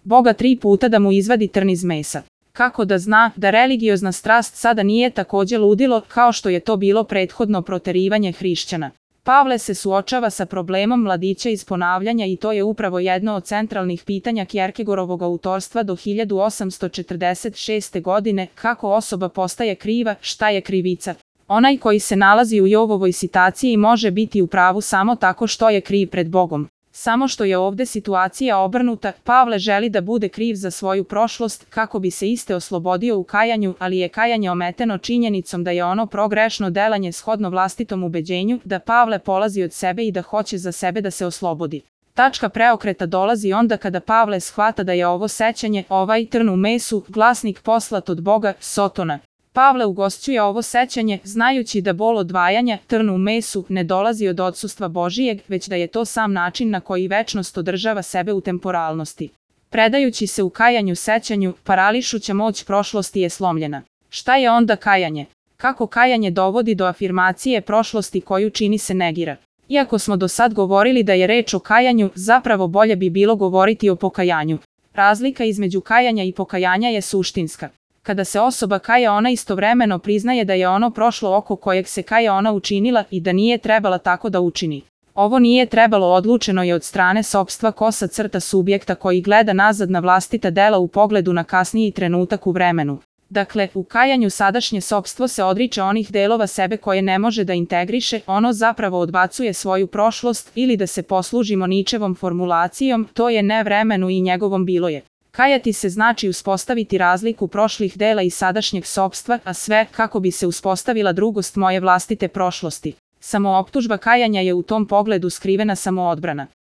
Boga 3 puta da mu izvadi trn iz mesa. Kako da zna da religiozna strast sada nije takođe ludilo kao što je to bilo prethodno proterivanje hrišćana? Pavle se suočava sa problemom mladića iz ponavljanja i to je upravo jedno od centralnih pitanja Kjerkegorovog autorstva do 1846. godine, kako osoba postaje kriva, šta je krivica. Onaj koji se nalazi u Jovovoj situaciji može biti u pravu samo tako što je kriv pred Bogom. Samo što je ovde situacija obrnuta, Pavle želi da bude kriv za svoju prošlost kako bi se iste oslobodio u kajanju, ali je kajanje ometeno činjenicom da je ono progrešno delanje shodno vlastitom ubeđenju, da Pavle polazi od sebe i da hoće za sebe da se oslobodi. Tačka preokreta dolazi onda kada Pavle shvata da je ovo sećanje, ovaj trn u mesu, glasnik poslat od Boga, Sotona. Pavle ugošćuje ovo sećanje, znajući da bol odvajanja, trn u mesu, ne dolazi od odsustva Božijeg, već da je to sam način na koji večnost održava sebe u temporalnosti. Predajući se u kajanju sećanju, parališuća moć prošlosti je slomljena. Šta je onda kajanje? Kako kajanje dovodi do afirmacije prošlosti koju čini se negira? Iako smo do sad govorili da je reč o kajanju, zapravo bolje bi bilo govoriti o pokajanju. Razlika između kajanja i pokajanja je suštinska. Kada se osoba kaja, ona istovremeno priznaje da je ono prošlo oko kojeg se kaja ona učinila i da nije trebala tako da učini. Ovo nije trebalo odlučeno je od strane sopstva kosa crta subjekta koji gleda nazad na vlastita dela u pogledu na kasniji trenutak u vremenu. Dakle, u kajanju sadašnje sopstvo se odriče onih delova sebe koje ne može da integriše, ono zapravo odbacuje svoju prošlost ili da se poslužimo Ničevom formulacijom, to je ne vremenu i njegovom bilo je. Kajati se znači uspostaviti razliku prošlih dela i sadašnjeg sopstva, a sve kako bi se uspostavila drugost moje vlastite prošlosti. Samooptužba kajanja je u tom pogledu skrivena samoodbrana.